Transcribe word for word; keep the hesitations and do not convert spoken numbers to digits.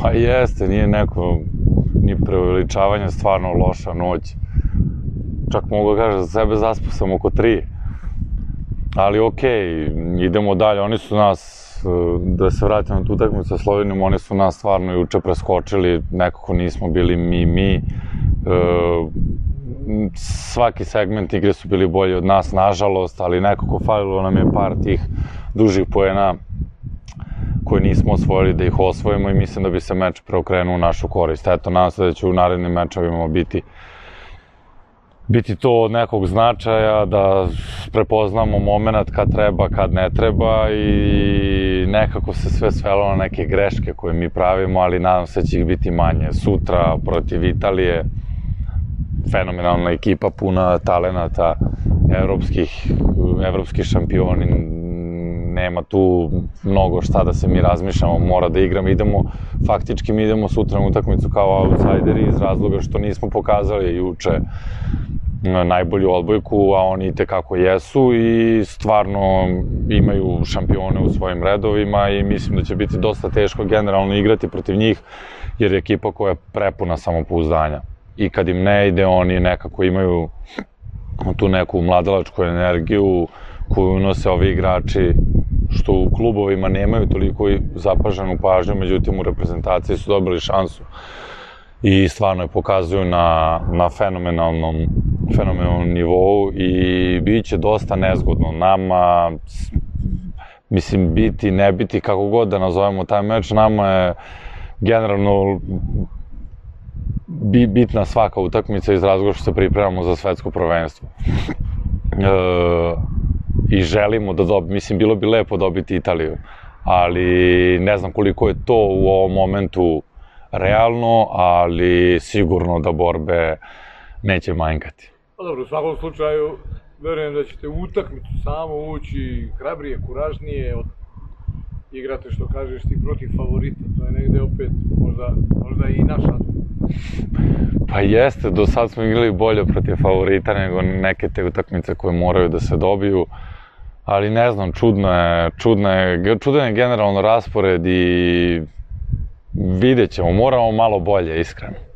Pa jeste, nije neko ni preuveličavanje, stvarno loša noć. Čak mogu da kažem, za sebe zaspao sam oko tri. Ali okej, idemo dalje, oni su nas, da se vratim na tu utakmicu sa Slovenijom, oni su nas stvarno juče preskočili, nekako nismo bili mi, mi. Svaki segment igre su bili bolji od nas, nažalost, ali nekako falilo nam je par tih dužih poena koje nismo osvojili da ih osvojimo i mislim da bi se meč preokrenuo u našu korist. Eto, nadam se da će u narednim mečevima biti biti to od nekog značaja, da prepoznamo moment kad treba, kad ne treba i nekako se sve svelo na neke greške koje mi pravimo, ali nadam se da će ih biti manje. Sutra protiv Italije, fenomenalna ekipa, puna talenata, evropskih, evropski šampioni, nema tu mnogo šta da se mi razmišljamo, mora da igramo, idemo, faktički mi idemo sutra na utakmicu kao outsideri iz razloga što nismo pokazali juče najbolju odbojku, a oni itekako jesu i stvarno imaju šampione u svojim redovima i mislim da će biti dosta teško generalno igrati protiv njih, jer je ekipa koja je prepuna samopouzdanja. I kad im ne ide, oni nekako imaju tu neku mladalačku energiju koju unose ovi igrači, što u klubovima nemaju toliko zapaženu pažnju, međutim u reprezentaciji su dobili šansu i stvarno je pokazuju na, na fenomenalnom, fenomenalnom nivou i bit će dosta nezgodno nama, mislim biti, ne biti, kako god da nazovemo taj meč, nama je generalno bitna svaka utakmica iz razloga što se pripremamo za svetsko prvenstvo. E, I želimo da dobiti, mislim, bilo bi lepo dobiti Italiju, ali ne znam koliko je to u ovom momentu realno, ali sigurno da borbe neće manjkati. Pa dobro, u svakom slučaju, verujem da ćete u utakmicu samo ući hrabrije, kuražnije, igrate, što kažeš ti, protiv favorita, to je negde opet možda, možda i naša. Pa jeste, do sad smo igrali bolje protiv favorita nego neke te utakmice koje moraju da se dobiju, ali ne znam, čudno je, čudno je, čudan je generalno raspored i vidjet ćemo, moramo malo bolje, iskreno.